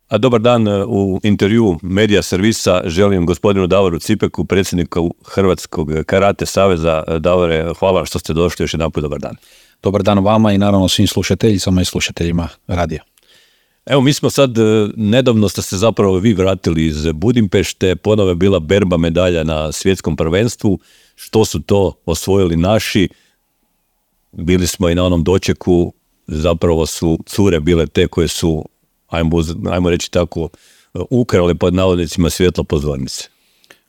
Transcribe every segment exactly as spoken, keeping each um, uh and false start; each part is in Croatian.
A dobar dan, u intervju Medija servisa želim gospodinu Davoru Cipeku, predsjedniku Hrvatskog karate saveza. Davore, hvala što ste došli, još jedanput dobar dan. Dobar dan vama i naravno svim slušateljicama i slušateljima radija. Evo, mi smo sad, nedavno ste se zapravo vi vratili iz Budimpešte, ponovo je bila berba medalja na svjetskom prvenstvu. Što su to osvojili naši? Bili smo i na onom dočeku, zapravo su cure bile te koje su, ajmo, ajmo reći tako, ukrale pod navodnicima svjetlo pozornice.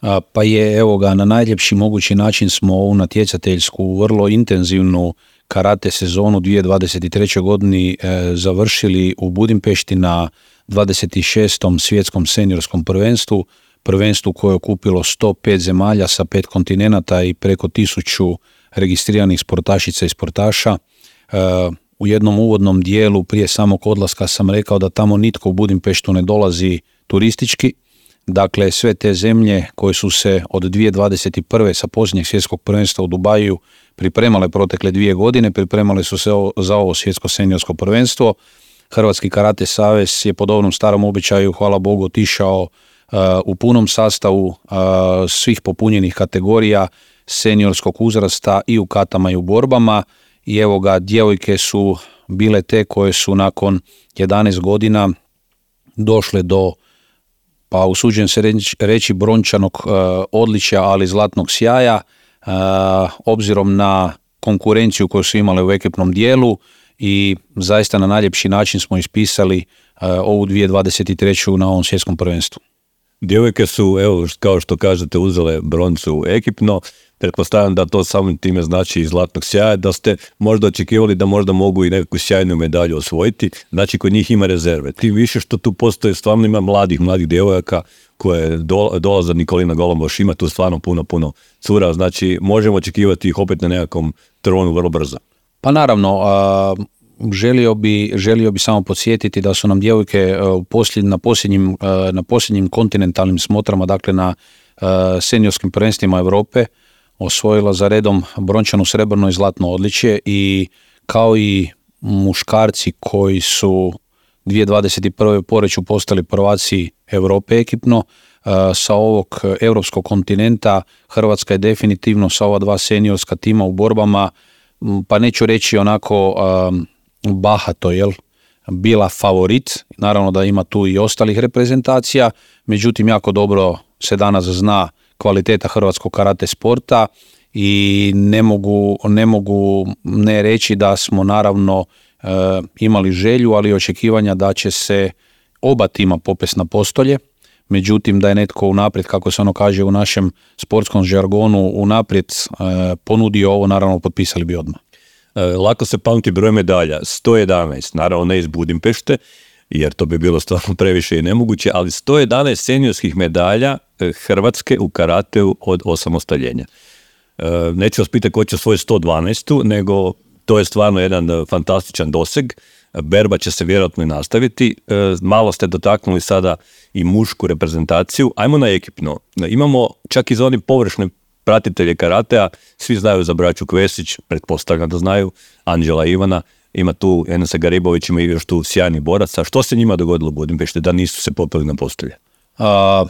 A, pa je, evo ga, na najljepši mogući način smo ovu natjecateljsku, vrlo intenzivnu karate sezonu dvije tisuće dvadeset treće. godini e, završili u Budimpešti na dvadeset šestom svjetskom seniorskom prvenstvu, prvenstvu koje je okupilo sto pet zemalja sa pet kontinenata i preko tisuću registriranih sportašica i sportaša. E, u jednom uvodnom dijelu prije samog odlaska sam rekao da tamo nitko u Budimpeštu ne dolazi turistički. Dakle, sve te zemlje koje su se od dvije tisuće dvadeset prve sa posljednjeg svjetskog prvenstva u Dubaju pripremale protekle dvije godine, pripremale su se za ovo svjetsko seniorsko prvenstvo. Hrvatski karate savez je po dobrom starom običaju, hvala Bogu, otišao uh, u punom sastavu uh, svih popunjenih kategorija seniorskog uzrasta i u katama i u borbama. I evo ga, djevojke su bile te koje su nakon jedanaest godina došle do, pa usuđujem se reći, reći brončanog uh, odličja, ali zlatnog sjaja, uh, obzirom na konkurenciju koju su imale u ekipnom dijelu, i zaista na najljepši način smo ispisali uh, ovu dvije tisuće dvadeset treću. na ovom svjetskom prvenstvu. Djevojke su, evo, kao što kažete, uzele broncu ekipno. Pretpostavljam da to samim time znači i zlatnog sjaja, da ste možda očekivali da možda mogu i neku sjajnu medalju osvojiti. Znači, kod njih ima rezerve. Tim više što tu postoje, stvarno ima mladih, mladih djevojaka koje do, dolaze. Nikolina Golomboš, ima tu stvarno puno, puno cura. Znači, možemo očekivati ih opet na nekakvom tronu vrlo brzo. Pa naravno, a, želio bi, želio bi samo podsjetiti da su nam djevojke a, posljednj, na, posljednjim, a, na posljednjim kontinentalnim smotrama, dakle na a, seniorskim prvenstvima Europe, osvojila za redom brončano, srebrno i zlatno odličje, i kao i muškarci koji su dvije tisuće dvadeset prve poreću postali prvaci Europe ekipno, sa ovog europskog kontinenta Hrvatska je definitivno sa ova dva seniorska tima u borbama, pa neću reći onako bahato, jel, bila favorit. Naravno da ima tu i ostalih reprezentacija, međutim jako dobro se danas zna kvaliteta hrvatskog karate sporta i ne mogu ne, mogu ne reći da smo naravno e, imali želju, ali i očekivanja da će se oba tima popest na postolje. Međutim, da je netko unaprijed, kako se ono kaže u našem sportskom žargonu, unaprijed e, ponudio ovo, naravno potpisali bi odmah. E, lako se pamti broj medalja, sto jedanaest, naravno ne iz Budimpešte, jer to bi bilo stvarno previše i nemoguće, ali sto jedanaest seniorskih medalja Hrvatske u karateu od osamostaljenja. E, neću vas pitati ko će svoje sto dvanaest, nego to je stvarno jedan fantastičan doseg. Berba će se vjerojatno i nastaviti. E, malo ste dotaknuli sada i mušku reprezentaciju. Ajmo na ekipno. Imamo čak i za oni površne pratitelje karatea, svi znaju za braću Kvesić, pretpostavljam da znaju, Anđela i Ivana. Ima tu Enesa Garibović, ima i još tu sjajnih boraca. Što se njima dogodilo u Budimpešti da nisu se popeli na postolje? A,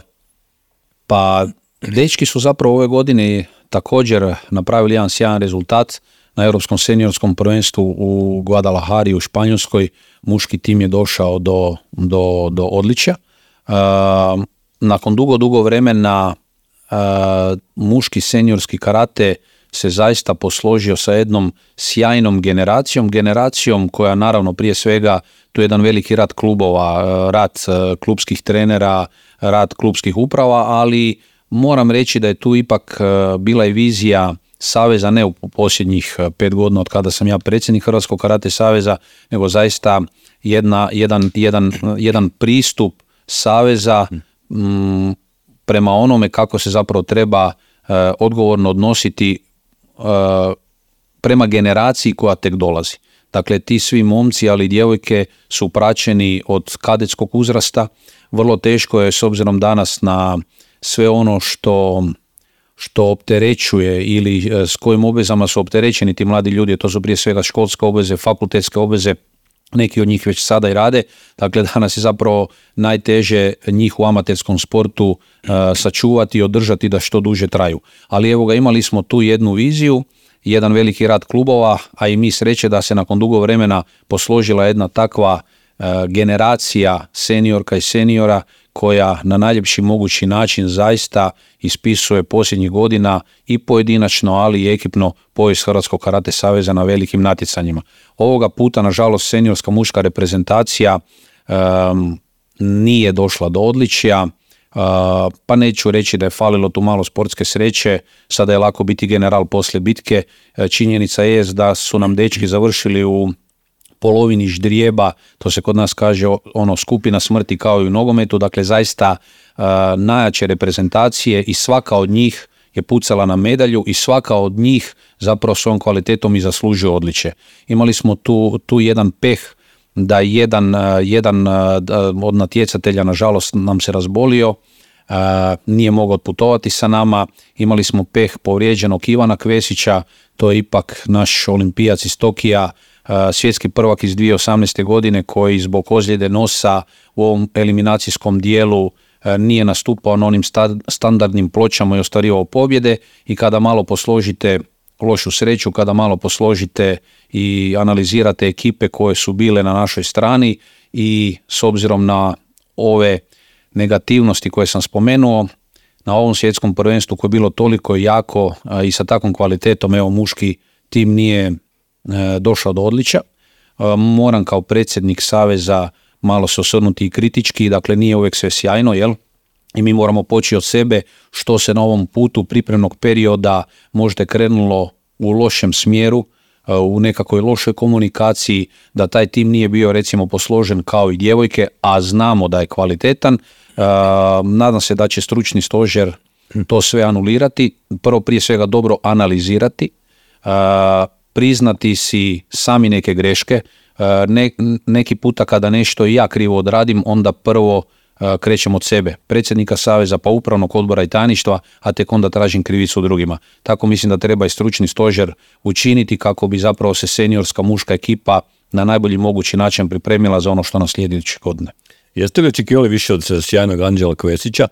pa, dečki su zapravo ove godine također napravili jedan sjajan rezultat na Europskom seniorskom prvenstvu u Guadalajari u Španjolskoj. Muški tim je došao do, do, do odličja. A, nakon dugo, dugo vremena a, muški seniorski karate se zaista posložio sa jednom sjajnom generacijom, generacijom koja naravno prije svega, tu je jedan veliki rad klubova, rad klubskih trenera, rad klubskih uprava, ali moram reći da je tu ipak bila i vizija saveza, ne u posljednjih pet godina od kada sam ja predsjednik Hrvatskog karate saveza, nego zaista jedna, jedan, jedan, jedan pristup saveza m, prema onome kako se zapravo treba e, odgovorno odnositi e, prema generaciji koja tek dolazi. Dakle, ti svi momci, ali i djevojke su praćeni od kadetskog uzrasta. Vrlo teško je, s obzirom danas na sve ono što, što opterećuje ili s kojim obvezama su opterećeni ti mladi ljudi, to su prije svega školske obveze, fakultetske obveze, neki od njih već sada i rade, dakle danas je zapravo najteže njih u amaterskom sportu uh, sačuvati i održati da što duže traju. Ali evo ga, imali smo tu jednu viziju, jedan veliki rad klubova, a i mi sreće da se nakon dugo vremena posložila jedna takva uh, generacija seniorka i seniora koja na najljepši mogući način zaista ispisuje posljednjih godina i pojedinačno, ali i ekipno povijest Hrvatskog karate saveza na velikim natjecanjima. Ovoga puta, nažalost, seniorska muška reprezentacija um, nije došla do odličja, uh, pa neću reći da je falilo tu malo sportske sreće, sada je lako biti general poslije bitke. Činjenica je da su nam dečki završili u polovini ždrijeba, to se kod nas kaže ono skupina smrti kao i u nogometu, dakle zaista uh, najjače reprezentacije i svaka od njih je pucala na medalju i svaka od njih zapravo svojom kvalitetom i zaslužuje odličje. Imali smo tu, tu jedan peh da jedan, uh, jedan uh, od natjecatelja nažalost nam se razbolio, uh, nije mogao otputovati sa nama, imali smo peh povrijeđenog Ivana Kvesića, to je ipak naš olimpijac iz Tokija, svjetski prvak iz dvije tisuće osamnaeste. godine koji zbog ozljede nosa u ovom eliminacijskom dijelu nije nastupao na onim standardnim pločama i ostvarivao pobjede, i kada malo posložite lošu sreću, kada malo posložite i analizirate ekipe koje su bile na našoj strani i s obzirom na ove negativnosti koje sam spomenuo, na ovom svjetskom prvenstvu koje je bilo toliko jako i sa takvom kvalitetom, evo muški tim nije došao do odličja. Moram kao predsjednik saveza malo se osvrnuti i kritički, dakle nije uvijek sve sjajno, jel? I mi moramo poći od sebe što se na ovom putu pripremnog perioda možda krenulo u lošem smjeru, u nekakvoj lošoj komunikaciji, da taj tim nije bio recimo posložen kao i djevojke, a znamo da je kvalitetan. Nadam se da će stručni stožer to sve anulirati, prvo prije svega dobro analizirati, priznati si sami neke greške. Ne, neki puta kada nešto i ja krivo odradim, onda prvo krećem od sebe, predsjednika saveza, pa upravnog odbora i tajništva, a tek onda tražim krivicu drugima. Tako mislim da treba i stručni stožer učiniti kako bi zapravo se seniorska muška ekipa na najbolji mogući način pripremila za ono što nas slijedi iduće godine. Jeste li očekivali više od sjajnog Anđela Kvesića,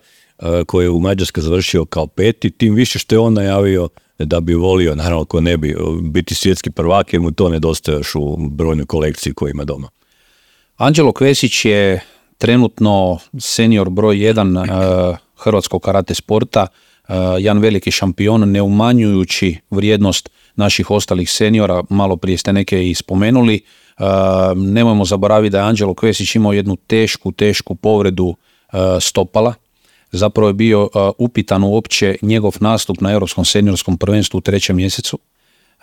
koji je u Mađarskoj završio kao peti, tim više što je on najavio da bi volio, naravno ko ne bi, biti svjetski prvak, jer mu to nedostaje još u brojnoj kolekciji koju ima doma? Anđelo Kvesić je trenutno senior broj jedan uh, hrvatskog karate sporta, uh, jedan veliki šampion, ne umanjujući vrijednost naših ostalih seniora, malo prije ste neke i spomenuli. Uh, nemojmo zaboraviti da je Anđelo Kvesić imao jednu tešku, tešku povredu uh, stopala. Zapravo je bio uh, upitan uopće njegov nastup na Europskom seniorskom prvenstvu u trećem mjesecu.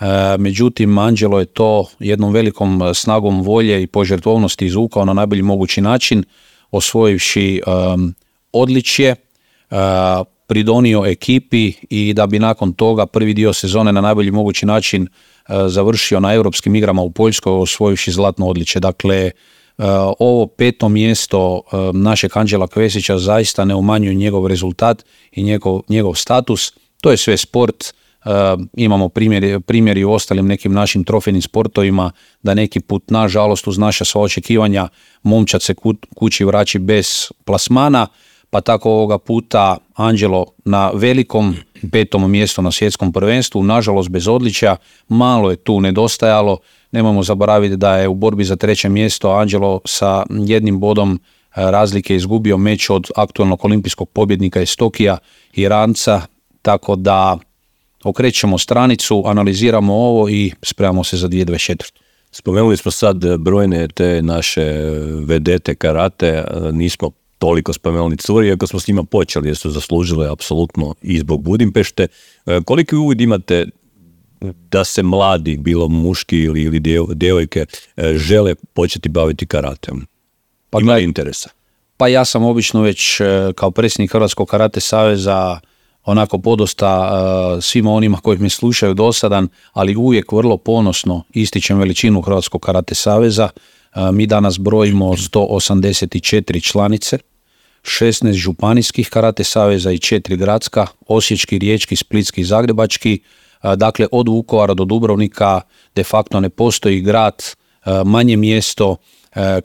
Uh, međutim, Anđelo je to jednom velikom snagom volje i požrtvovnosti izvukao na najbolji mogući način, osvojivši um, odličje, uh, pridonio ekipi i da bi nakon toga prvi dio sezone na najbolji mogući način uh, završio na europskim igrama u Poljskoj, osvojivši zlatno odličje. Dakle, Uh, ovo peto mjesto uh, našeg Anđela Kvesića zaista ne umanjuje njegov rezultat i njegov, njegov status. To je sve sport, uh, imamo primjeri, primjeri u ostalim nekim našim trofejnim sportovima da neki put, nažalost, uz naša sva očekivanja momčad se ku, kući vraći bez plasmana, pa tako ovoga puta Anđelo na velikom petom mjestu na svjetskom prvenstvu, nažalost bez odličja, malo je tu nedostajalo. Nemojmo zaboraviti da je u borbi za treće mjesto Anđelo sa jednim bodom razlike izgubio meč od aktualnog olimpijskog pobjednika iz Tokija, Iranca, tako da okrećemo stranicu, analiziramo ovo i spremamo se za dvije tisuće dvadeset četvrtu. Spomenuli smo sad brojne te naše vedete karate, nismo toliko spomenuli curi, iako smo s njima počeli jer su zaslužile apsolutno i zbog Budimpešte. Koliki uvid imate da se mladi, bilo muški ili, ili djevojke, žele početi baviti karateom? Pa ima li interesa? Pa ja sam obično već kao predsjednik Hrvatskog karate saveza onako podosta uh, svima onima koji me slušaju dosadan, ali uvijek vrlo ponosno ističem veličinu Hrvatskog karate saveza. Uh, mi danas brojimo sto osamdeset četiri članice, šesnaest županijskih karate saveza i četiri gradska, osječki, riječki, splitski i zagrebački. Uh, dakle, od Vukovara do Dubrovnika de facto ne postoji grad manje mjesto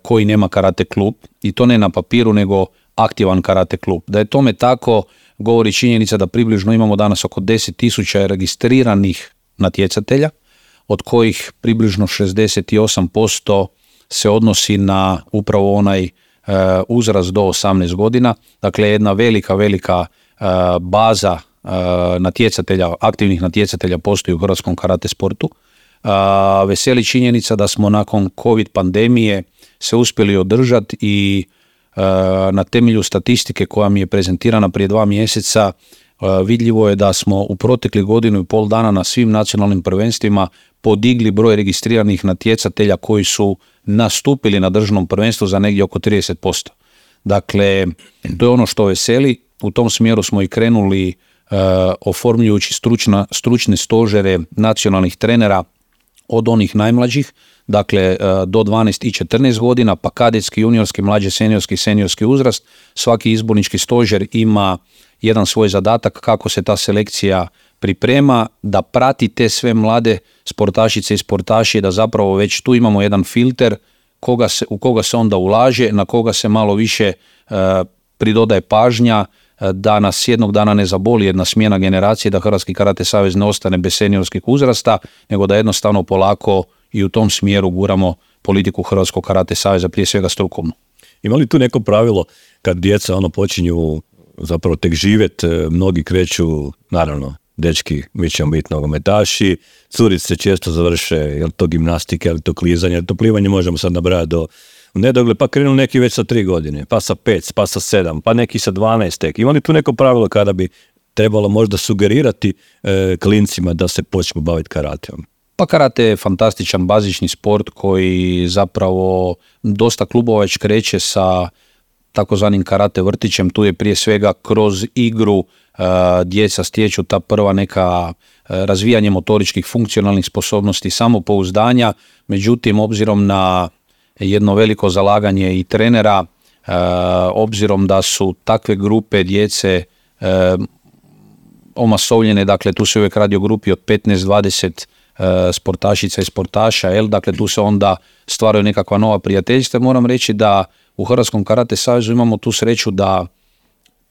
koji nema karate klub, i to ne na papiru nego aktivan karate klub. Da je tome tako govori činjenica da približno imamo danas oko deset tisuća registriranih natjecatelja, od kojih približno šezdeset osam posto se odnosi na upravo onaj e, uzrast do osamnaest godina. Dakle, jedna velika, velika e, baza e, natjecatelja, aktivnih natjecatelja postoji u hrvatskom karate sportu. E, veseli činjenica da smo nakon COVID pandemije se uspjeli održati i e, na temelju statistike koja mi je prezentirana prije dva mjeseca vidljivo je da smo u proteklih godinu i pol dana na svim nacionalnim prvenstvima podigli broj registriranih natjecatelja koji su nastupili na državnom prvenstvu za negdje oko trideset posto. Dakle, to je ono što veseli. U tom smjeru smo i krenuli uh, oformljujući stručna, stručne stožere nacionalnih trenera od onih najmlađih, dakle uh, do dvanaest i četrnaest godina, pa kadetski, juniorski, mlađi, seniorski, seniorski uzrast. Svaki izbornički stožer ima jedan svoj zadatak kako se ta selekcija priprema, da prati te sve mlade sportašice i sportaši, da zapravo već tu imamo jedan filter koga se, u koga se onda ulaže, na koga se malo više e, pridodaje pažnja, e, da nas jednog dana ne zaboli jedna smjena generacije, da Hrvatski karate savez ne ostane bez seniorskih uzrasta, nego da jednostavno polako i u tom smjeru guramo politiku Hrvatskog karate saveza, prije svega strukovnu. Ima li tu neko pravilo kad djeca ono počinju zapravo tek živjet, mnogi kreću, naravno, dečki, mi ćemo biti nogometaši, curice često završe, je li to gimnastika, je li to klizanje, je li to plivanje, možemo sad nabrajati do nedogled, pa krenu neki već sa tri godine, pa sa pet, pa sa sedam, pa neki sa dvanaest tek. Ima li tu neko pravilo kada bi trebalo možda sugerirati e, klincima da se počnu baviti karateom? Pa karate je fantastičan bazični sport koji zapravo dosta klubova već kreće sa takozvanim karate vrtićem. Tu je prije svega kroz igru uh, djeca stječu ta prva neka uh, razvijanje motoričkih funkcionalnih sposobnosti, samopouzdanja. Međutim, obzirom na jedno veliko zalaganje i trenera, uh, obzirom da su takve grupe djece uh, omasovljene, dakle tu se uvijek radi o grupi od petnaest do dvadeset uh, sportašica i sportaša, jel? Dakle tu se onda stvaraju nekakva nova prijateljstva. Moram reći da u Hrvatskom karate savezu imamo tu sreću da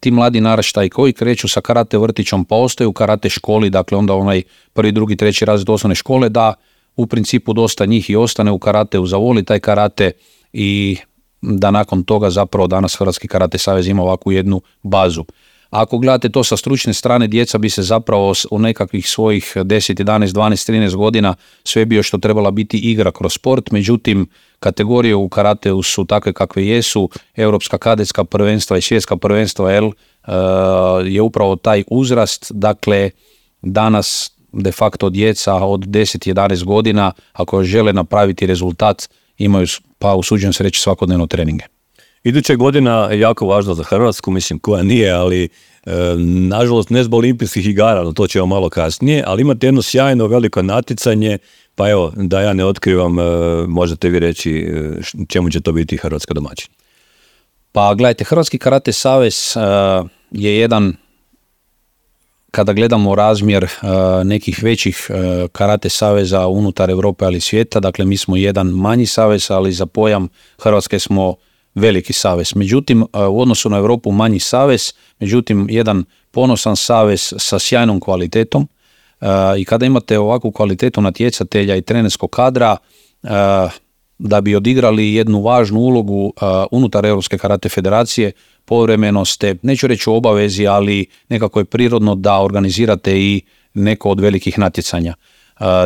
ti mladi naraštaji koji kreću sa karate vrtićom pa ostaju u karate školi, dakle onda onaj prvi, drugi, treći razred osnovne škole, da u principu dosta njih i ostane u karateu, zavoli taj karate i da nakon toga zapravo danas Hrvatski karate savez ima ovakvu jednu bazu. Ako gledate to sa stručne strane, djeca bi se zapravo u nekakvih svojih deset, jedanaest, dvanaest, trinaest godina sve bio što trebala biti igra kroz sport, međutim kategorije u karateu su takve kakve jesu, europska kadetska prvenstva i svjetska prvenstva L je upravo taj uzrast, dakle danas de facto djeca od deset do jedanaest godina ako žele napraviti rezultat imaju, pa usuđujem se reći, svakodnevno treninge. Iduća godina je jako važna za Hrvatsku, mislim koja nije, ali e, nažalost ne zbog olimpijskih igara, no to ćemo malo kasnije, ali imate jedno sjajno veliko natjecanje, pa evo da ja ne otkrivam, e, možete vi reći e, čemu će to biti Hrvatska domaćin. Pa gledajte, Hrvatski karate savez e, je jedan, kada gledamo razmjer e, nekih većih e, karate saveza unutar Europe ali svijeta, dakle mi smo jedan manji savez, ali za pojam Hrvatske smo veliki savez. Međutim, u odnosu na Europu manji savez, međutim jedan ponosan savez sa sjajnom kvalitetom i kada imate ovakvu kvalitetu natjecatelja i trenerskog kadra, da bi odigrali jednu važnu ulogu unutar Europske karate federacije, povremeno ste, neću reći u obavezi, ali nekako je prirodno da organizirate i neko od velikih natjecanja.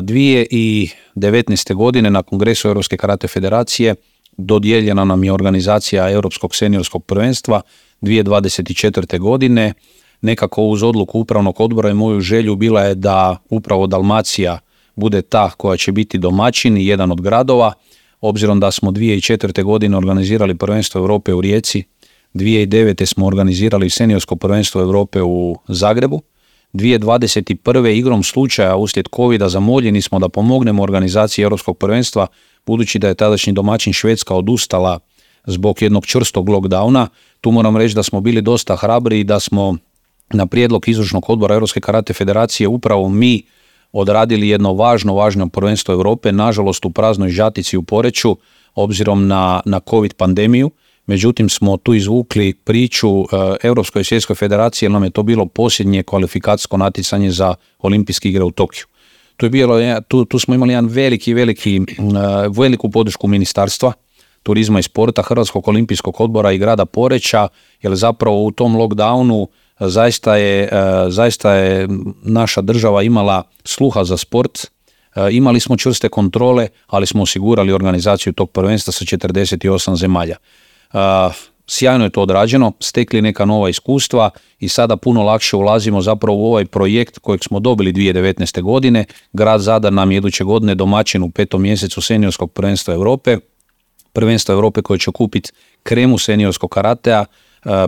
dvije tisuće devetnaeste. godine na Kongresu Europske karate federacije dodijeljena nam je organizacija Europskog seniorskog prvenstva dvije tisuće dvadeset četvrte. godine. Nekako uz odluku upravnog odbora i moju želju bila je da upravo Dalmacija bude ta koja će biti domaćin i jedan od gradova, obzirom da smo dvije tisuće četvrte. godine organizirali prvenstvo Europe u Rijeci, dvije tisuće devete. smo organizirali seniorsko prvenstvo Europe u Zagrebu, dvije tisuće dvadeset prve. igrom slučaja uslijed covida zamoljeni smo da pomognemo organizaciji Europskog prvenstva, budući da je tadašnji domaćin Švedska odustala zbog jednog čvrstog lockdowna. Tu moram reći da smo bili dosta hrabri i da smo na prijedlog izvršnog odbora Europske karate federacije upravo mi odradili jedno važno, važno prvenstvo Europe, nažalost u praznoj Žatici u Poreču, obzirom na, na COVID pandemiju. Međutim, smo tu izvukli priču uh, Europskoj svjetskoj federaciji, jer nam je to bilo posljednje kvalifikacijsko natjecanje za olimpijske igre u Tokiju. Tu, je bilo, tu, tu smo imali jedan veliki, veliki, uh, veliku podršku Ministarstva turizma i sporta, Hrvatskog olimpijskog odbora i grada Poreča, jer zapravo u tom lockdownu zaista je, zaista je naša država imala sluha za sport, imali smo čvrste kontrole, ali smo osigurali organizaciju tog prvenstva sa četrdeset osam zemalja. Sjajno je to odrađeno, stekli neka nova iskustva i sada puno lakše ulazimo zapravo u ovaj projekt kojeg smo dobili dvije tisuće devetnaeste. godine. Grad Zadar nam je iduće godine domaćin u petom mjesecu seniorskog prvenstva Europe. Prvenstvo Europe koje će okupiti kremu seniorskog karatea,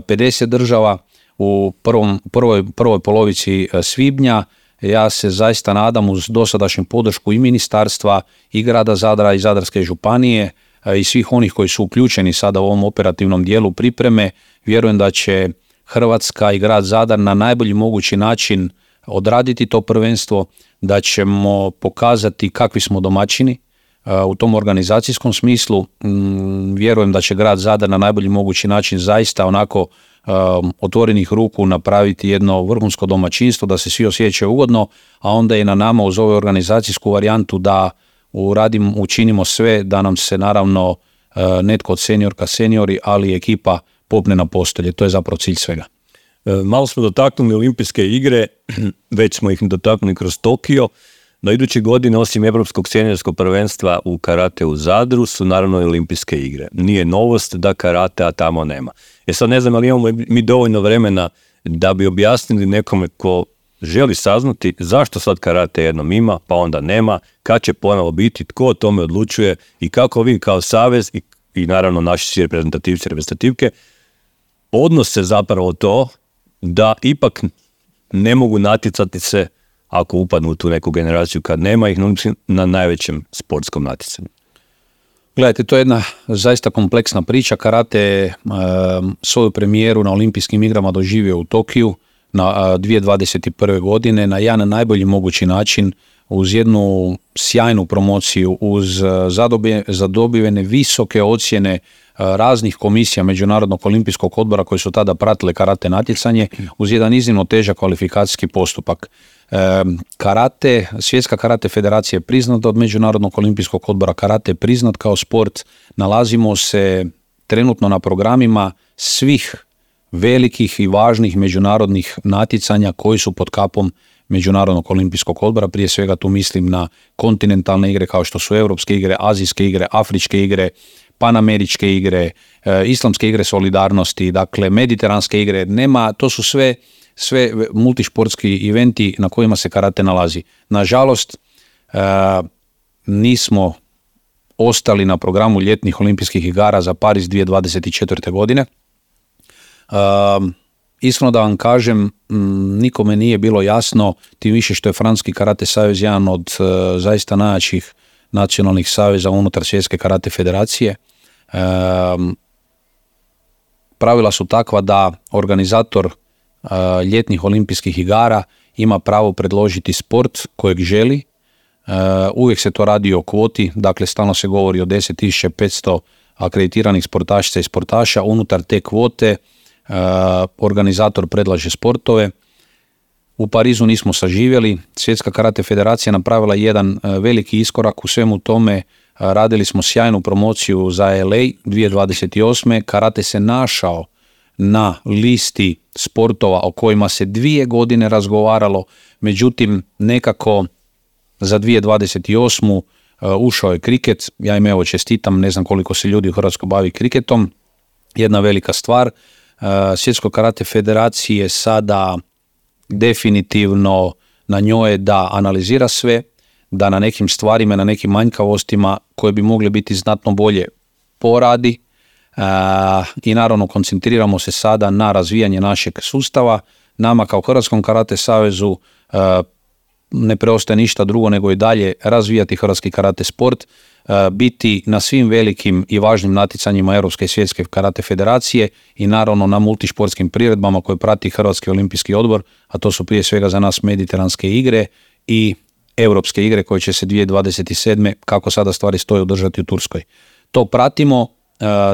pedeset država u prvom, prvoj, prvoj polovici svibnja. Ja se zaista nadam uz dosadašnju podršku i ministarstva i grada Zadra i Zadarske županije i svih onih koji su uključeni sada u ovom operativnom dijelu pripreme, vjerujem da će Hrvatska i grad Zadar na najbolji mogući način odraditi to prvenstvo, da ćemo pokazati kakvi smo domaćini u tom organizacijskom smislu. Vjerujem da će grad Zadar na najbolji mogući način zaista onako otvorenih ruku napraviti jedno vrhunsko domaćinstvo, da se svi osjećaju ugodno, a onda je na nama uz ovu organizacijsku varijantu da uradim, učinimo sve da nam se naravno netko od seniorka seniori, ali i ekipa popne na postolje. To je zapravo cilj svega. Malo smo dotaknuli olimpijske igre, već smo ih dotaknuli kroz Tokio. No iduće godine, osim Europskog seniorskog prvenstva u karate u Zadru, su naravno i olimpijske igre. Nije novost da karatea tamo nema. E sad ne znam, ali imamo mi dovoljno vremena da bi objasnili nekome ko želi saznati zašto sad karate jednom ima, pa onda nema, kad će ponovo biti, tko o tome odlučuje i kako vi kao savez i, i naravno naši svi reprezentativci, reprezentativke odnose zapravo to da ipak ne mogu natjecati se ako upadnu u tu neku generaciju kad nema ih na najvećem sportskom natjecanju. Gledajte, to je jedna zaista kompleksna priča. Karate je e, svoju premijeru na olimpijskim igrama doživio u Tokiju na dvije tisuće dvadeset prve. godine na jedan najbolji mogući način, uz jednu sjajnu promociju, uz zadobivene visoke ocjene raznih komisija Međunarodnog olimpijskog odbora koji su tada pratile karate natjecanje, uz jedan iznimno težak kvalifikacijski postupak. E, karate, Svjetska karate federacija je priznata od Međunarodnog olimpijskog odbora, karate je priznat kao sport, nalazimo se trenutno na programima svih velikih i važnih međunarodnih natjecanja koji su pod kapom Međunarodnog olimpijskog odbora, prije svega tu mislim na kontinentalne igre kao što su Europske igre, Azijske igre, Afričke igre, Panameričke igre, e, Islamske igre solidarnosti, dakle Mediteranske igre, nema, to su sve, sve multišportski eventi na kojima se karate nalazi. Nažalost, e, nismo ostali na programu ljetnih olimpijskih igara za Pariz dvije tisuće dvadeset četvrte. godine. E, Iskreno da vam kažem, nikome nije bilo jasno, tim više što je Francuski karate savez jedan od e, zaista najjačih nacionalnih saveza unutar Svjetske karate federacije. E, pravila su takva da organizator e, ljetnih olimpijskih igara ima pravo predložiti sport kojeg želi. E, uvijek se to radi o kvoti, dakle stalno se govori o deset tisuća petsto akreditiranih sportašica i sportaša. Unutar te kvote Uh, organizator predlaže sportove. U Parizu nismo saživjeli. Svjetska karate federacija napravila jedan uh, veliki iskorak u svemu tome. Uh, radili smo sjajnu promociju za L A dvije tisuće dvadeset osme. Karate se našao na listi sportova o kojima se dvije godine razgovaralo, međutim nekako za dvije tisuće dvadeset osmu. Uh, ušao je kriket. Ja im evo čestitam, ne znam koliko se ljudi u Hrvatskoj bavi kriketom. Jedna velika stvar. Svjetskoj karate federaciji je sada definitivno na njoj da analizira sve, da na nekim stvarima, na nekim manjkavostima koje bi mogle biti znatno bolje poradi i naravno koncentriramo se sada na razvijanje našeg sustava. Nama kao Hrvatskom karate savezu ne preostaje ništa drugo nego i dalje razvijati hrvatski karate sport, biti na svim velikim i važnim natjecanjima Europske i Svjetske karate federacije i naravno na multišportskim priredbama koje prati Hrvatski olimpijski odbor, a to su prije svega za nas Mediteranske igre i europske igre koje će se dvije tisuće dvadeset sedme kako sada stvari stoje održati u Turskoj. To pratimo,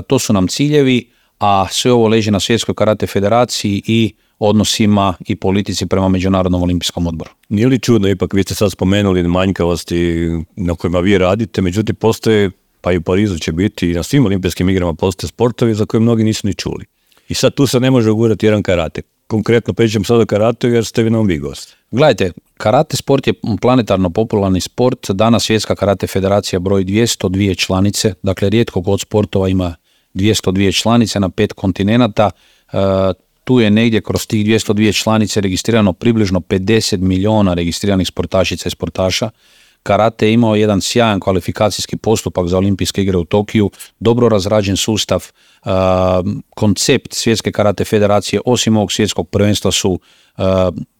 to su nam ciljevi, a sve ovo leži na Svjetskoj karate federaciji i odnosima i politici prema Međunarodnom olimpijskom odboru. Nije li čudno, ipak vi ste sad spomenuli manjkavosti na kojima vi radite, međutim postoje, pa i u Parizu će biti, i na svim olimpijskim igrama postoje sportovi za koje mnogi nisu ni čuli. I sad tu se ne može ugurati jedan karate. Konkretno pričam sad o karateu jer ste vi nam vi gost. Gledajte, karate sport je planetarno popularni sport. Danas Svjetska karate federacija broji dvjesto dvije članice, dakle rijetko god sportova ima dvjesto dvije članice na pet kontinenata. E, tu je negdje kroz tih dvjesto dvije članice registrirano približno pedeset milijuna registriranih sportašica i sportaša. Karate je imao jedan sjajan kvalifikacijski postupak za olimpijske igre u Tokiju, dobro razrađen sustav, uh, koncept Svjetske karate federacije, osim ovog svjetskog prvenstva su uh,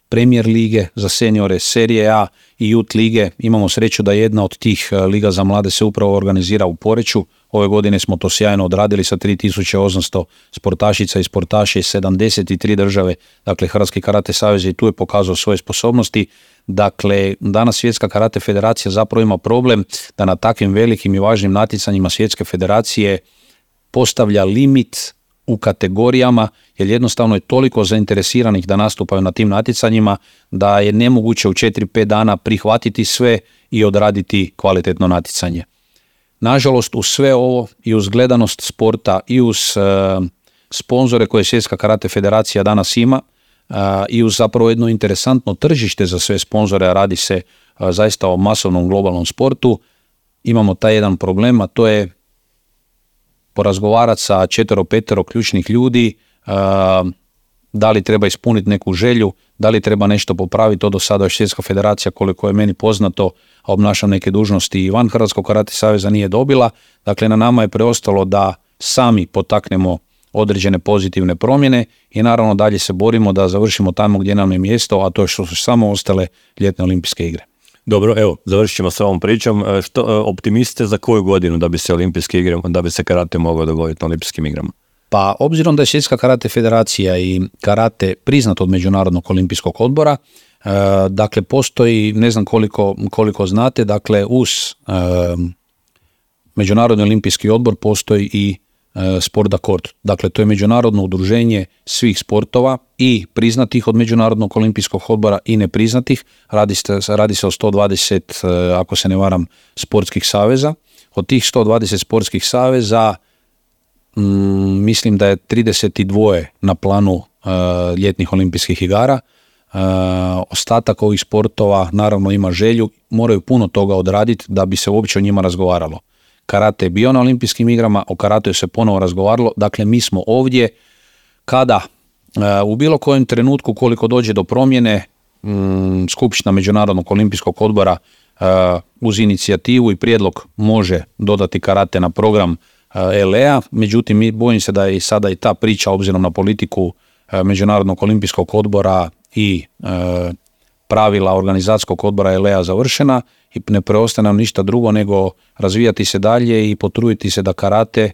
Premier lige za seniore, Serije A i Youth lige. Imamo sreću da jedna od tih uh, liga za mlade se upravo organizira u Poreču. Ove godine smo to sjajno odradili sa tri tisuće osamsto sportašica i sportaša iz sedamdeset tri države. Dakle, Hrvatski karate savez i tu je pokazao svoje sposobnosti. Dakle, danas Svjetska karate federacija zapravo ima problem da na takvim velikim i važnim natjecanjima Svjetske federacije postavlja limit u kategorijama, jer jednostavno je toliko zainteresiranih da nastupaju na tim natjecanjima da je nemoguće u četiri pet dana prihvatiti sve i odraditi kvalitetno natjecanje. Nažalost, uz sve ovo i uz gledanost sporta i uz uh, sponzore koje Svjetska karate federacija danas ima, Uh, i uz zapravo jedno interesantno tržište za sve sponzore, a radi se uh, zaista o masovnom globalnom sportu, imamo taj jedan problem, a to je porazgovarati sa četvero, petero ključnih ljudi, uh, da li treba ispuniti neku želju, da li treba nešto popraviti. To do sada još Svjetska federacija, koliko je meni poznato, a obnašam neke dužnosti i van Hrvatskog karate saveza, nije dobila. Dakle, na nama je preostalo da sami potaknemo određene pozitivne promjene i naravno dalje se borimo da završimo tamo gdje nam je mjesto, a to je što su samo ostale ljetne olimpijske igre. Dobro, evo, završit ćemo s ovom pričom. Što optimiste za koju godinu da bi se olimpijske igre, da bi se karate mogao dogoditi na olimpijskim igrama? Pa obzirom da je Svjetska karate federacija i karate priznat od Međunarodnog olimpijskog odbora, e, dakle postoji, ne znam koliko, koliko znate, dakle uz e, Međunarodni olimpijski odbor postoji i Sport Accord. Dakle, to je međunarodno udruženje svih sportova i priznatih od Međunarodnog olimpijskog odbora i nepriznatih. Radi se, radi se o sto dvadeset, ako se ne varam, sportskih saveza. Od tih sto dvadeset sportskih saveza mm, mislim da je trideset dva na planu uh, ljetnih olimpijskih igara. Uh, ostatak ovih sportova naravno ima želju, moraju puno toga odraditi da bi se uopće o njima razgovaralo. Karate je bio na olimpijskim igrama, o karateu se ponovo razgovaralo, dakle mi smo ovdje kada uh, u bilo kojem trenutku koliko dođe do promjene um, Skupština Međunarodnog olimpijskog odbora uh, uz inicijativu i prijedlog može dodati karate na program uh, L E A, međutim mi bojim se da je i sada i ta priča obzirom na politiku uh, Međunarodnog olimpijskog odbora i uh, pravila organizacijskog odbora L E A završena i ne preostaje nam ništa drugo nego razvijati se dalje i potruditi se da karate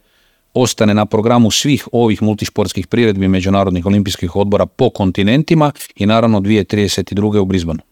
ostane na programu svih ovih multišportskih priredbi Međunarodnih olimpijskih odbora po kontinentima i naravno dvije tisuće trideset druge u Brisbaneu.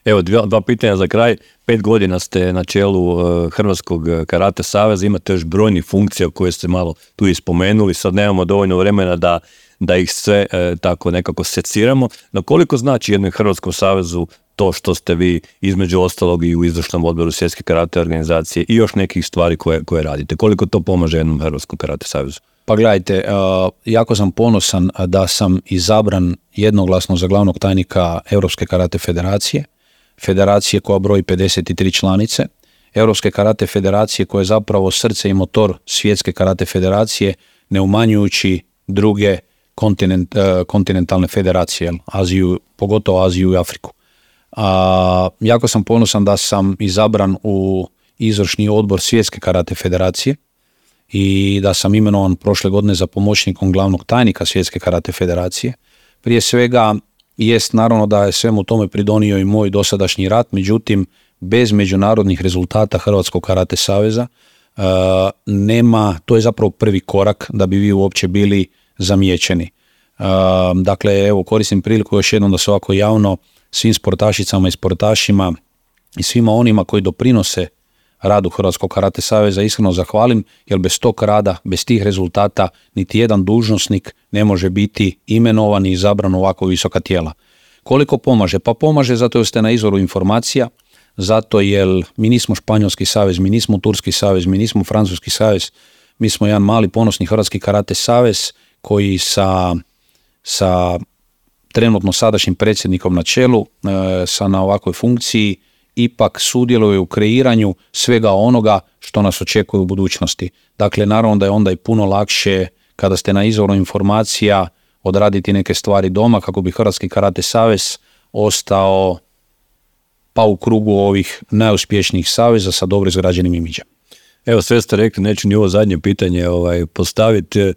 Evo dva, dva pitanja za kraj. Pet godina ste na čelu uh, Hrvatskog karate saveza, imate još brojnih funkcija koje ste malo tu i spomenuli, sad nemamo dovoljno vremena da, da ih sve uh, tako nekako seciramo. No koliko znači jednom Hrvatskom savezu to što ste vi između ostalog i u izvršnom odboru Svjetske karate organizacije i još nekih stvari koje, koje radite? Koliko to pomaže jednom Hrvatskom karate savezu? Pa gledajte, uh, jako sam ponosan da sam izabran jednoglasno za glavnog tajnika Europske karate federacije, federacije koja broji pedeset tri članice, Europske karate federacije koja je zapravo srce i motor Svjetske karate federacije, ne umanjujući druge kontinent, uh, kontinentalne federacije, Aziju, pogotovo Aziju i Afriku. A, jako sam ponosan da sam izabran u izvršni odbor Svjetske karate federacije i da sam imenovan prošle godine za pomoćnikom glavnog tajnika Svjetske karate federacije. Prije svega jest naravno da je svemu tome pridonio i moj dosadašnji rad, međutim bez međunarodnih rezultata Hrvatskog karate saveza uh, nema, to je zapravo prvi korak da bi vi uopće bili zamijećeni. Uh, dakle, evo koristim priliku još jednom da se ovako javno svim sportašicama i sportašima i svima onima koji doprinose radu Hrvatskog karate saveza iskreno zahvalim, jer bez tog rada, bez tih rezultata, niti jedan dužnosnik ne može biti imenovan i izabran u ovako visoka tijela. Koliko pomaže? Pa pomaže zato jer ste na izvoru informacija, zato jer mi nismo Španjolski savez, mi nismo Turski savez, mi nismo Francuski savez, mi smo jedan mali ponosni Hrvatski karate savez koji sa, sa trenutno sadašnjim predsjednikom na čelu, e, sa na ovakvoj funkciji, ipak sudjeluje u kreiranju svega onoga što nas očekuje u budućnosti. Dakle, naravno da je onda i puno lakše kada ste na izvoru informacija odraditi neke stvari doma kako bi Hrvatski karate savez ostao pa u krugu ovih najuspješnijih saveza sa dobro izgrađenim imidžem. Evo, sve ste rekli, neću ni ovo zadnje pitanje ovaj, postaviti. E,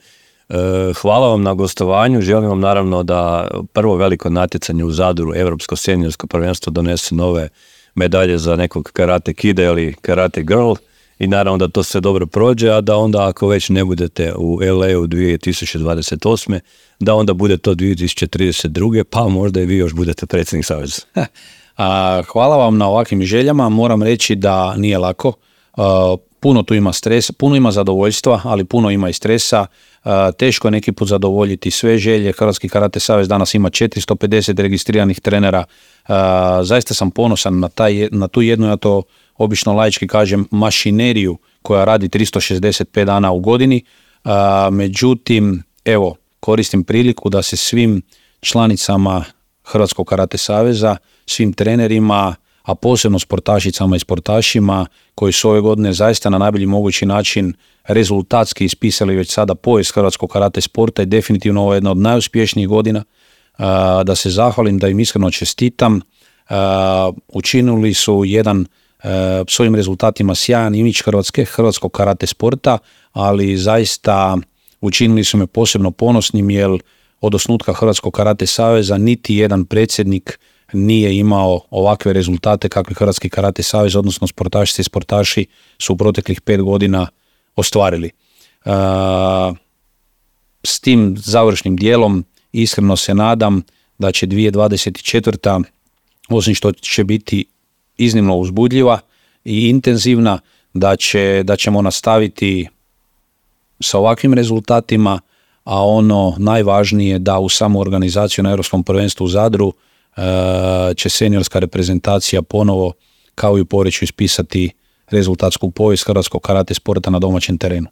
hvala vam na gostovanju, želim vam naravno da prvo veliko natjecanje u Zadru, Europsko seniorsko prvenstvo, donese nove medalje za nekog karate kida ili karate girl i naravno da to sve dobro prođe, a da onda ako već ne budete u L A u dvije tisuće dvadeset osme da onda bude to dvije tisuće trideset druge pa možda i vi još budete predsjednik saveza. A, hvala vam na ovakvim željama, moram reći da nije lako, a, puno tu ima stresa, puno ima zadovoljstva, ali puno ima i stresa, a, teško je neki put zadovoljiti sve želje. Hrvatski karate savez danas ima četiristo pedeset registriranih trenera, a, zaista sam ponosan na, taj, na tu jednu, ja to obično laički kažem, mašineriju koja radi tristo šezdeset pet dana u godini, a, međutim, evo, koristim priliku da se svim članicama Hrvatskog karate saveza, svim trenerima, a posebno sportašicama i sportašima koji su ove godine zaista na najbolji mogući način rezultatski ispisali već sada povijest hrvatskog karate sporta i definitivno ovo je jedna od najuspješnijih godina, da se zahvalim, da im iskreno čestitam. Učinili su jedan svojim rezultatima sjajan imidž Hrvatske, hrvatskog karate sporta, ali zaista učinili su me posebno ponosnim jer od osnutka Hrvatskog karate saveza niti jedan predsjednik nije imao ovakve rezultate kakve Hrvatski karate savez, odnosno sportašice i sportaši su u proteklih pet godina ostvarili. Uh, s tim završnim dijelom iskreno se nadam da će dvije tisuće dvadeset četvrta osim što će biti iznimno uzbudljiva i intenzivna, da, će, da ćemo nastaviti sa ovakvim rezultatima, a ono najvažnije da u samu organizaciju na Europskom prvenstvu u Zadru uh, će seniorska reprezentacija ponovo kao i u Poreču ispisati rezultatsku povijest hrvatskog karate sporta na domaćem terenu.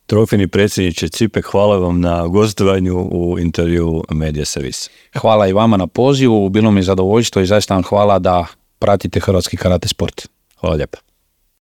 Trofejni predsjedniče Cipek, hvala vam na gostovanju u intervju Media Service. Hvala i vama na pozivu, bilo mi je zadovoljstvo i zaista vam hvala da pratite hrvatski karate sport. Hvala lijepa.